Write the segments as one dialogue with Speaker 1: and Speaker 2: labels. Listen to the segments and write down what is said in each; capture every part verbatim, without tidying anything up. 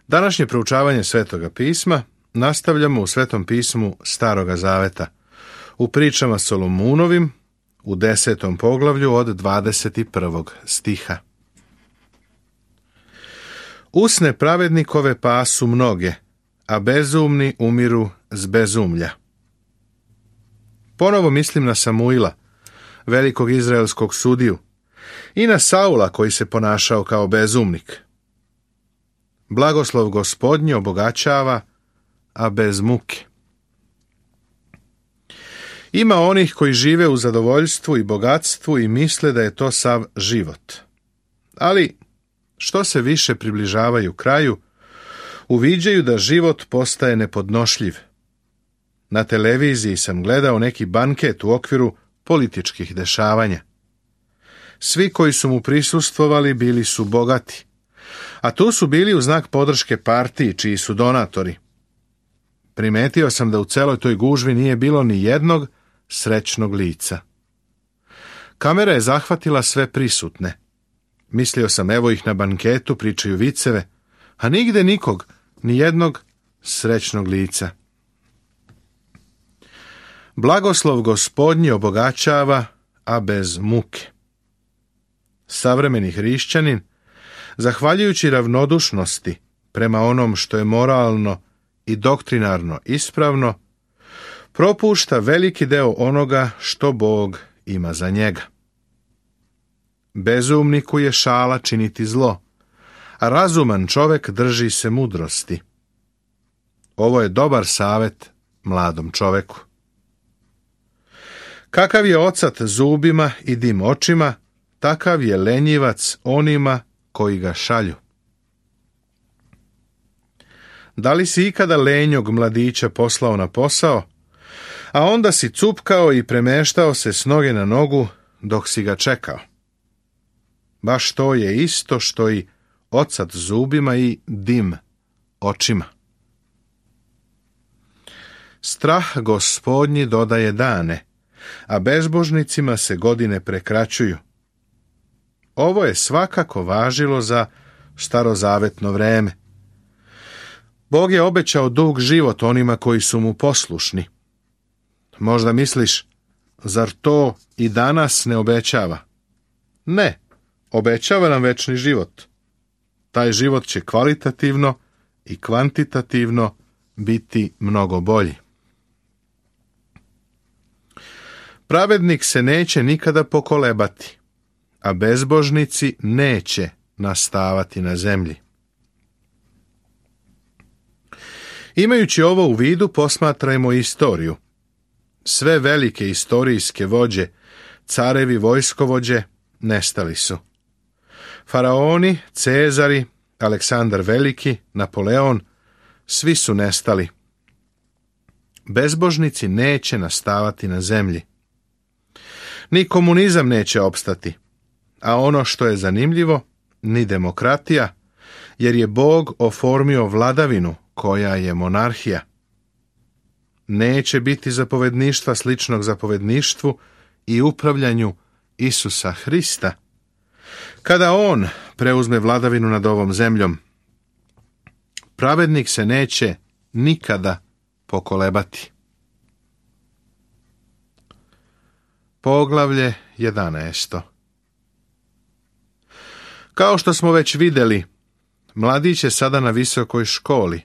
Speaker 1: Današnje proučavanje Svetoga pisma nastavljamo u Svetom pismu Staroga zaveta, u pričama Solomunovim, u desetom poglavlju od dvadeset prvog stiha. Usne pravednikove pasu mnoge, a bezumni umiru z bezumlja. Ponovo mislim na Samuila, velikog izraelskog sudiju, i na Saula koji se ponašao kao bezumnik. Blagoslov Gospodnji obogaćava, a bez muke. Ima onih koji žive u zadovoljstvu i bogatstvu i misle da je to sav život. Ali, što se više približavaju kraju, uviđaju da život postaje nepodnošljiv. Na televiziji sam gledao neki banket u okviru političkih dešavanja. Svi koji su mu prisustvovali bili su bogati, a tu su bili u znak podrške partiji čiji su donatori. Primetio sam da u celoj toj gužvi nije bilo ni jednog srećnog lica. Kamera je zahvatila sve prisutne. Mislio sam, evo ih na banketu, pričaju viceve, a nigde nikog, ni jednog srećnog lica. Blagoslov Gospodnji obogaćava, a bez muke. Savremeni hrišćanin, zahvaljujući ravnodušnosti prema onom što je moralno i doktrinarno ispravno, propušta veliki deo onoga što Bog ima za njega. Bezumniku je šala činiti zlo, a razuman čovek drži se mudrosti. Ovo je dobar savet mladom čoveku. Kakav je ocat zubima i dim očima, takav je lenjivac onima koji ga šalju. Da li si ikada lenjog mladića poslao na posao, a onda si cupkao i premeštao se s noge na nogu dok si ga čekao? Baš to je isto što i ocat zubima i dim očima. Strah Gospodnji dodaje dane, a bezbožnicima se godine prekraćuju. Ovo je svakako važilo za starozavetno vreme. Bog je obećao dug život onima koji su mu poslušni. Možda misliš, zar to i danas ne obećava? Ne, obećava nam večni život. Taj život će kvalitativno i kvantitativno biti mnogo bolji. Pravednik se neće nikada pokolebati, a bezbožnici neće nastavati na zemlji. Imajući ovo u vidu, posmatrajmo istoriju. Sve velike istorijske vođe, carevi, vojskovođe, nestali su. Faraoni, Cezari, Aleksandar Veliki, Napoleon, svi su nestali. Bezbožnici neće nastavati na zemlji. Ni komunizam neće opstati, a ono što je zanimljivo, ni demokratija, jer je Bog oformio vladavinu koja je monarhija. Neće biti zapovedništva sličnog zapovedništvu i upravljanju Isusa Hrista. Kada on preuzme vladavinu nad ovom zemljom, pravednik se neće nikada pokolebati. Poglavlje jedanaesto. Kao što smo već vidjeli, mladić je sada na visokoj školi,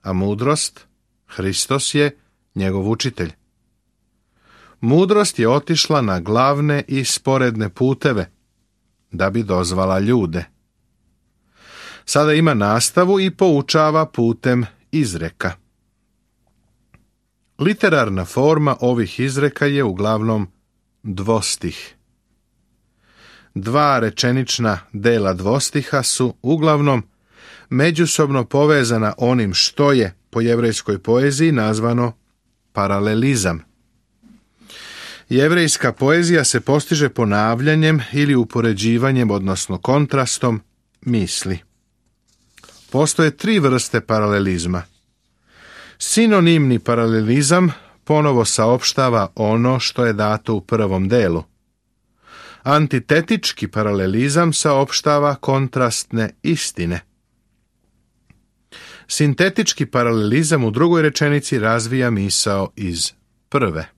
Speaker 1: a mudrost, Hristos je njegov učitelj. Mudrost je otišla na glavne i sporedne puteve, da bi dozvala ljude. Sada ima nastavu i poučava putem izreka. Literarna forma ovih izreka je uglavnom dvostih. Dva rečenična dela dvostiha su uglavnom međusobno povezana onim što je po jevrejskoj poeziji nazvano paralelizam. Jevrejska poezija se postiže ponavljanjem ili upoređivanjem, odnosno kontrastom, misli. Postoje tri vrste paralelizma. Sinonimni paralelizam ponovo saopštava ono što je dato u prvom delu. Antitetički paralelizam saopštava kontrastne istine. Sintetički paralelizam u drugoj rečenici razvija misao iz prve.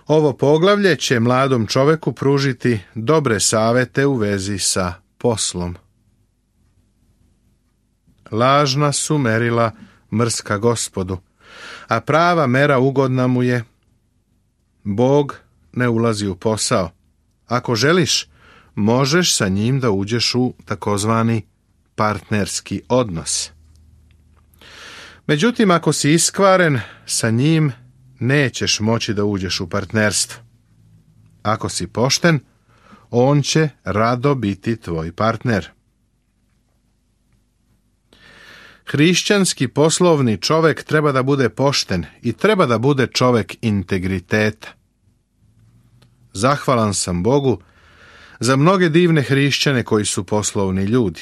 Speaker 1: Ovo poglavlje će mladom čoveku pružiti dobre savete u vezi sa poslom. Lažna su merila mrska Gospodu, a prava mera ugodna mu je. Bog ne ulazi u posao. Ako želiš, možeš sa njim da uđeš u takozvani partnerski odnos. Međutim, ako si iskvaren, sa njim nećeš moći da uđeš u partnerstvo. Ako si pošten, on će rado biti tvoj partner. Hrišćanski poslovni čovek treba da bude pošten i treba da bude čovek integriteta. Zahvalan sam Bogu za mnoge divne hrišćane koji su poslovni ljudi.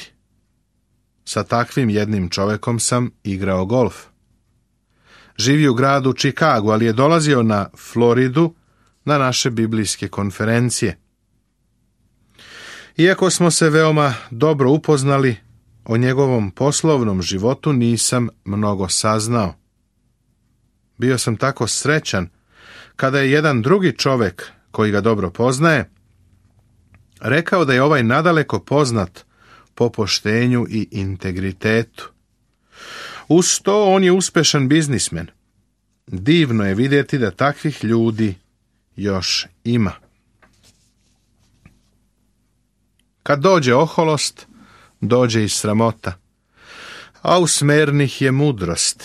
Speaker 1: Sa takvim jednim čovekom sam igrao golf. Živi u gradu Čikagu, ali je dolazio na Floridu na naše biblijske konferencije. Iako smo se veoma dobro upoznali, o njegovom poslovnom životu nisam mnogo saznao. Bio sam tako srećan kada je jedan drugi čovek koji ga dobro poznaje rekao da je ovaj nadaleko poznat po poštenju i integritetu. Uz to on je uspešan biznismen. Divno je vidjeti da takvih ljudi još ima. Kad dođe oholost, dođe i sramota, a u smernih je mudrost.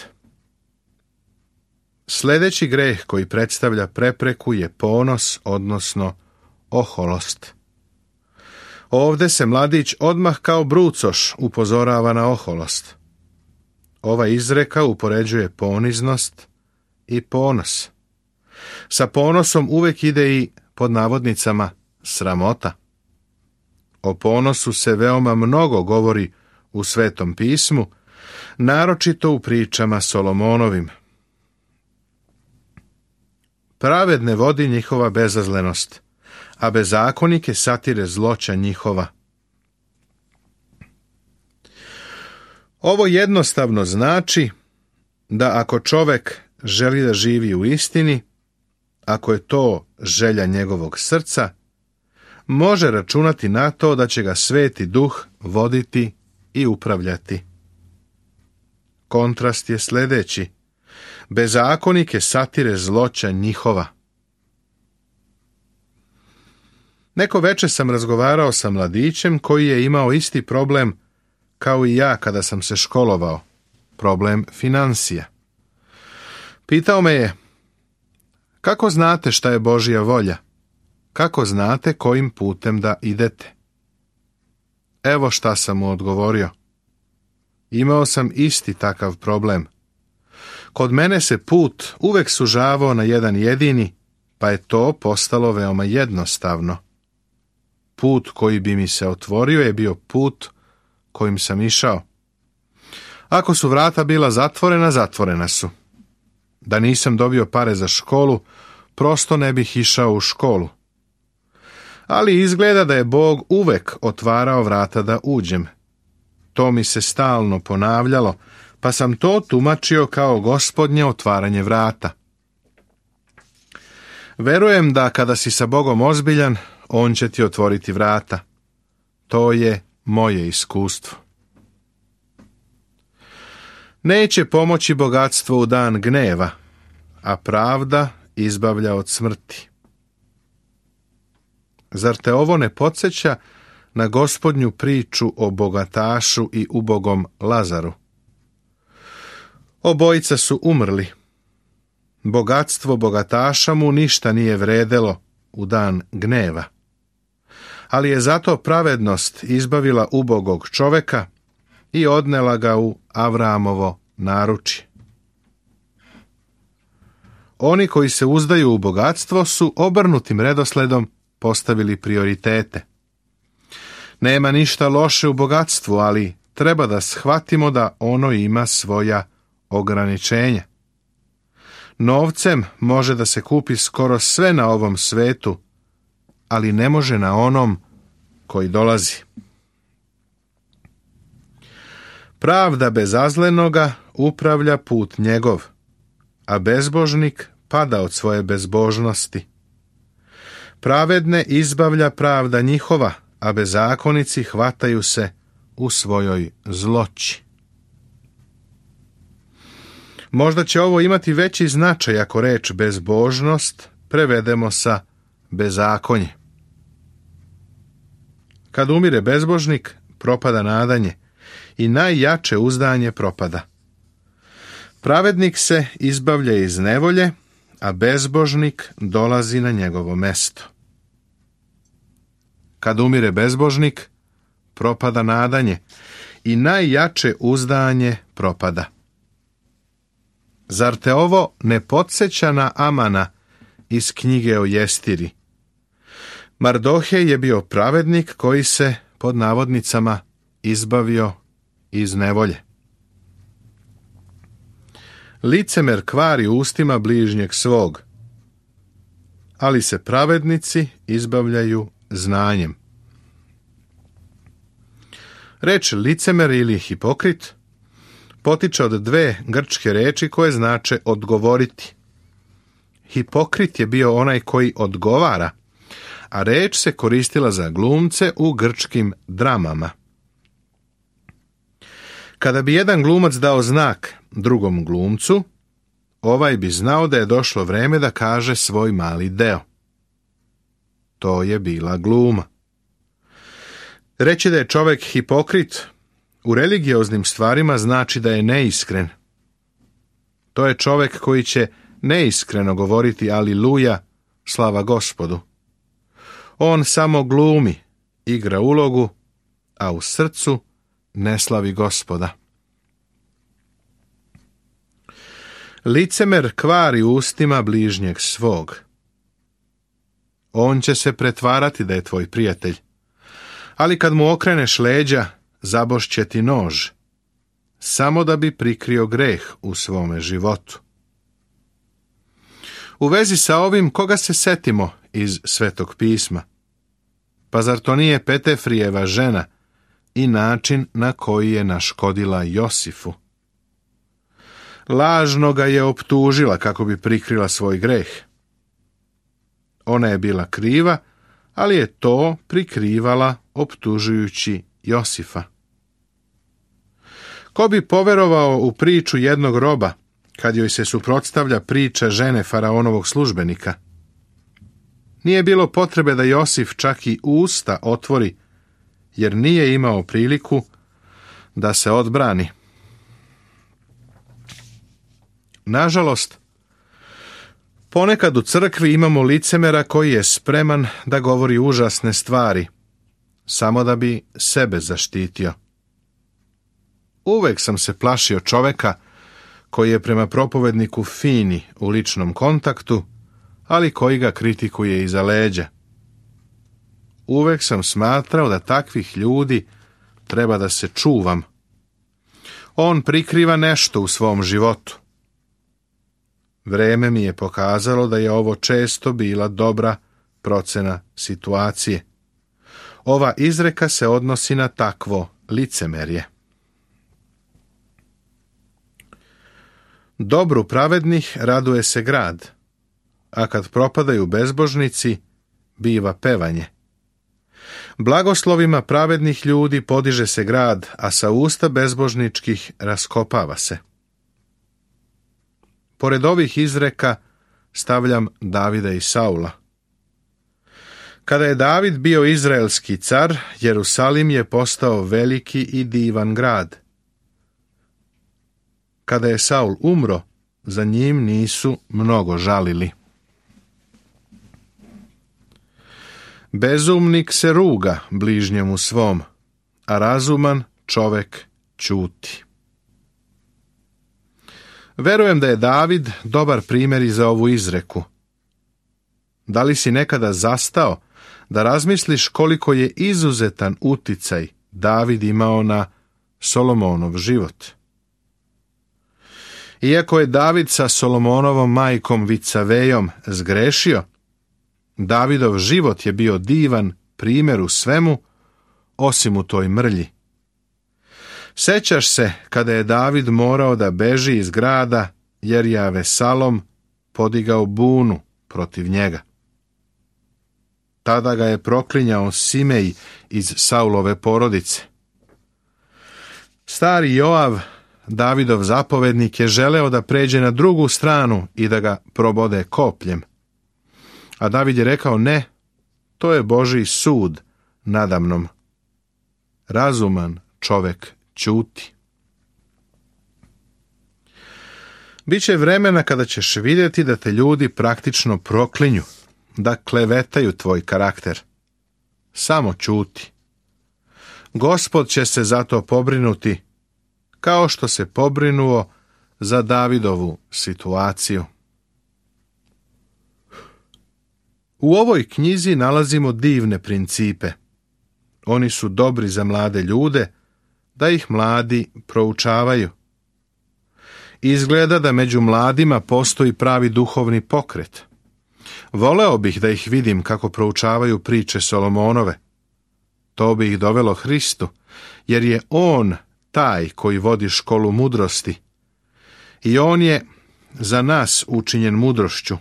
Speaker 1: Sljedeći greh koji predstavlja prepreku je ponos, odnosno oholost. Ovdje se mladić odmah kao brucoš upozorava na oholost. Ova izreka upoređuje poniznost i ponos. Sa ponosom uvijek ide i, pod navodnicama, sramota. O ponosu se veoma mnogo govori u Svetom pismu, naročito u pričama Solomonovim. Pravedne vodi njihova bezazlenost, a bezakonike satire zloća njihova. Ovo jednostavno znači da ako čovek želi da živi u istini, ako je to želja njegovog srca, može računati na to da će ga Sveti Duh voditi i upravljati. Kontrast je sljedeći. Bezakonike satire zloća njihova. Neko veče sam razgovarao sa mladićem koji je imao isti problem kao i ja kada sam se školovao, problem financija. Pitao me je, kako znate šta je Božja volja? Kako znate kojim putem da idete? Evo šta sam mu odgovorio. Imao sam isti takav problem. Kod mene se put uvek sužavao na jedan jedini, pa je to postalo veoma jednostavno. Put koji bi mi se otvorio je bio put kojim sam išao. Ako su vrata bila zatvorena, zatvorena su. Da nisam dobio pare za školu, prosto ne bih išao u školu. Ali izgleda da je Bog uvek otvarao vrata da uđem. To mi se stalno ponavljalo, pa sam to tumačio kao Gospodnje otvaranje vrata. Verujem da kada si sa Bogom ozbiljan, On će ti otvoriti vrata. To je moje iskustvo. Neće pomoći bogatstvo u dan gneva, a pravda izbavlja od smrti. Zar te ovo ne podsjeća na Gospodnju priču o bogatašu i ubogom Lazaru? Obojica su umrli. Bogatstvo bogataša mu ništa nije vredelo u dan gneva. Ali je zato pravednost izbavila ubogog čoveka i odnela ga u Avramovo naručje. Oni koji se uzdaju u bogatstvo su obrnutim redosledom postavili prioritete. Nema ništa loše u bogatstvu, ali treba da shvatimo da ono ima svoja ograničenja. Novcem može da se kupi skoro sve na ovom svetu, ali ne može na onom koji dolazi. Pravda bezazlenoga upravlja put njegov, a bezbožnik pada od svoje bezbožnosti. Pravedne izbavlja pravda njihova, a bezakonici hvataju se u svojoj zloći. Možda će ovo imati veći značaj ako reč bezbožnost prevedemo sa bezakonje. Kad umire bezbožnik, propada nadanje i najjače uzdanje propada. Pravednik se izbavlja iz nevolje, a bezbožnik dolazi na njegovo mesto. Kad umire bezbožnik, propada nadanje i najjače uzdanje propada. Zar te ovo ne podsjeća na Amana iz knjige o Jestiri? Mardohej je bio pravednik koji se, pod navodnicama, izbavio iz nevolje. Licemer kvari ustima bližnjeg svog, ali se pravednici izbavljaju znanjem. Reč licemer ili hipokrit potiče od dve grčke reči koje znače odgovoriti. Hipokrit je bio onaj koji odgovara, a reč se koristila za glumce u grčkim dramama. Kada bi jedan glumac dao znak drugom glumcu, ovaj bi znao da je došlo vreme da kaže svoj mali deo. To je bila gluma. Reći da je čovjek hipokrit u religioznim stvarima znači da je neiskren. To je čovjek koji će neiskreno govoriti aliluja, slava Gospodu. On samo glumi, igra ulogu, a u srcu ne slavi Gospoda. Licemer kvari ustima bližnjeg svog. On će se pretvarati da je tvoj prijatelj, ali kad mu okreneš leđa, zabošće ti nož, samo da bi prikrio greh u svome životu. U vezi sa ovim, koga se setimo iz Svetog pisma? Pa zar to nije Petefrijeva žena i način na koji je naškodila Josifu? Lažno ga je optužila kako bi prikrila svoj greh. Ona je bila kriva, ali je to prikrivala optužujući Josifa. Ko bi poverovao u priču jednog roba, kad joj se suprotstavlja priča žene faraonovog službenika? Nije bilo potrebe da Josif čak i usta otvori, jer nije imao priliku da se odbrani. Nažalost, ponekad u crkvi imamo licemera koji je spreman da govori užasne stvari, samo da bi sebe zaštitio. Uvek sam se plašio čoveka koji je prema propovedniku fini u ličnom kontaktu, ali koji ga kritikuje iza leđa. Uvek sam smatrao da takvih ljudi treba da se čuvam. On prikriva nešto u svom životu. Vreme mi je pokazalo da je ovo često bila dobra procena situacije. Ova izreka se odnosi na takvo licemerje. Dobru pravednih raduje se grad, a kad propadaju bezbožnici, biva pevanje. Blagoslovima pravednih ljudi podiže se grad, a sa usta bezbožničkih raskopava se. Pored ovih izreka stavljam Davida i Saula. Kada je David bio izraelski car, Jerusalim je postao veliki i divan grad. Kada je Saul umro, za njim nisu mnogo žalili. Bezumnik se ruga bližnjemu svom, a razuman čovek ćuti. Verujem da je David dobar primjer i za ovu izreku. Da li si nekada zastao da razmisliš koliko je izuzetan uticaj David imao na Solomonov život? Iako je David sa Solomonovom majkom Vicavejom zgrešio, Davidov život je bio divan primjer u svemu, osim u toj mrlji. Sećaš se kada je David morao da beži iz grada jer je Avesalom podigao bunu protiv njega. Tada ga je proklinjao Simej iz Saulove porodice. Stari Joav, Davidov zapovednik, je želeo da pređe na drugu stranu i da ga probode kopljem. A David je rekao: ne, to je Božji sud nadamnom. Razuman čovek ćuti. Biće vremena kada ćeš vidjeti da te ljudi praktično proklinju, da klevetaju tvoj karakter. Samo ćuti. Gospod će se za to pobrinuti, kao što se pobrinuo za Davidovu situaciju. U ovoj knjizi nalazimo divne principe. Oni su dobri za mlade ljude, da ih mladi proučavaju. Izgleda da među mladima postoji pravi duhovni pokret. Voleo bih da ih vidim kako proučavaju priče Solomonove. To bi ih dovelo Hristu, jer je on taj koji vodi školu mudrosti. I on je za nas učinjen mudrošću.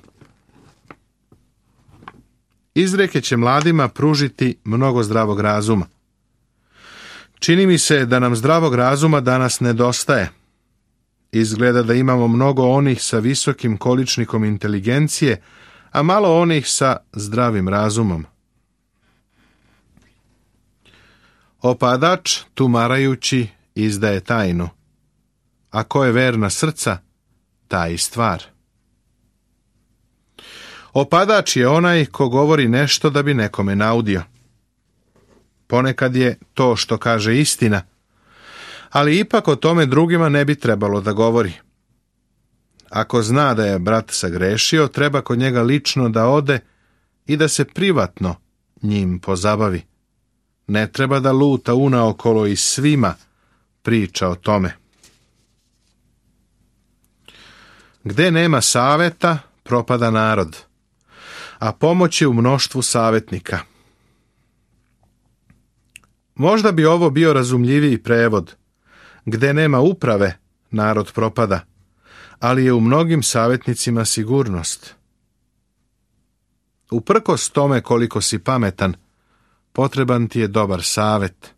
Speaker 1: Izreke će mladima pružiti mnogo zdravog razuma. Čini mi se da nam zdravog razuma danas nedostaje. Izgleda da imamo mnogo onih sa visokim količnikom inteligencije, a malo onih sa zdravim razumom. Opadač, tumarajući, izdaje tajnu. A ko je verna srca, taj i stvar. Opadač je onaj ko govori nešto da bi nekome naudio. Ponekad je to što kaže istina, ali ipak o tome drugima ne bi trebalo da govori. Ako zna da je brat sagrešio, treba kod njega lično da ode i da se privatno njim pozabavi. Ne treba da luta unaokolo i svima priča o tome. Gde nema saveta, propada narod, a pomoć je u mnoštvu savetnika. Možda bi ovo bio razumljiviji prevod. Gde nema uprave, narod propada, ali je u mnogim savetnicima sigurnost. Uprkos tome koliko si pametan, potreban ti je dobar savet.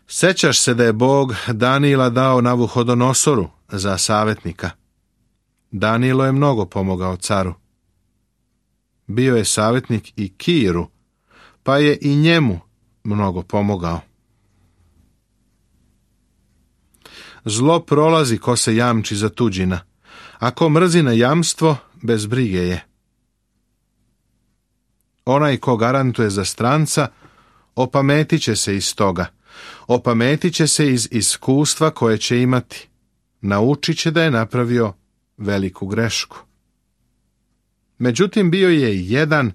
Speaker 1: Sećaš se da je Bog Danijela dao Navuhodonosoru za savetnika. Danijelo je mnogo pomogao caru. Bio je savetnik i Kiru, pa je i njemu mnogo pomogao. Zlo prolazi ko se jamči za tuđina, a ko mrzi na jamstvo, bez brige je. Onaj ko garantuje za stranca, opametit će se iz toga. Opametit će se iz iskustva koje će imati. Naučit će da je napravio veliku grešku. Međutim, bio je jedan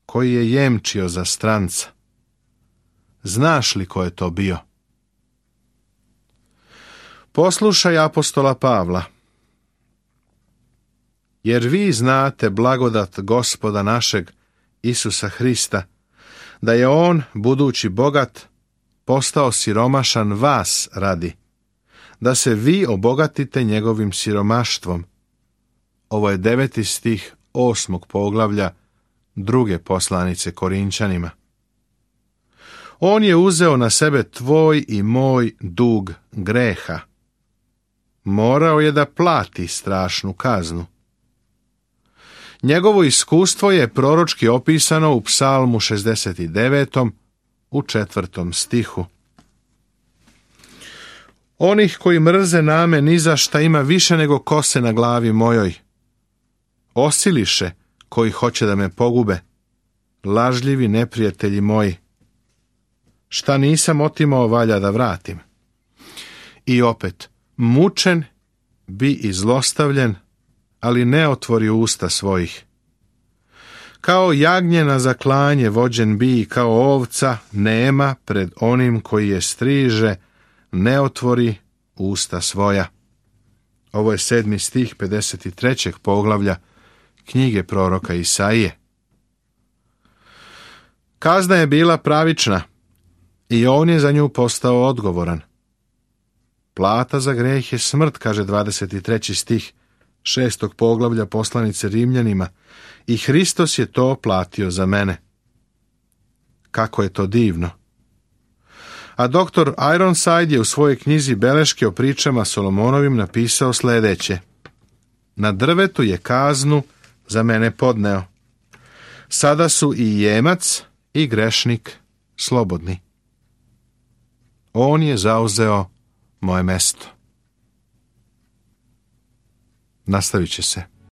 Speaker 1: koji je jemčio za stranca. Znaš li ko je to bio? Poslušaj apostola Pavla. Jer vi znate blagodat Gospoda našeg Isusa Hrista, da je on, budući bogat, postao siromašan vas radi, da se vi obogatite njegovim siromaštvom. Ovo je deveti stih osmog poglavlja druge poslanice Korinčanima. On je uzeo na sebe tvoj i moj dug greha. Morao je da plati strašnu kaznu. Njegovo iskustvo je proročki opisano u Psalmu šezdeset devetom u četvrtom stihu. Onih koji mrze name ni za šta ima više nego kose na glavi mojoj. Osiliše koji hoće da me pogube, lažljivi neprijatelji moji. Šta nisam otimao, valja da vratim. I opet, mučen bi i zlostavljen, ali ne otvori usta svojih. Kao jagnje na zaklanje vođen bi i kao ovca nema pred onim koji je striže, ne otvori usta svoja. Ovo je sedmi stih pedeset trećeg poglavlja knjige proroka Isaije. Kazna je bila pravična i on je za nju postao odgovoran. Plata za greh je smrt, kaže dvadeset treći stih šestog poglavlja poslanice Rimljanima, i Hristos je to platio za mene. Kako je to divno! A doktor Ironside je u svojoj knjizi Beleške o pričama Solomonovim napisao sljedeće: na drvetu je kaznu za mene podneo. Sada su i jemac i grešnik slobodni. On je zauzeo moje mesto. Nastavit će se.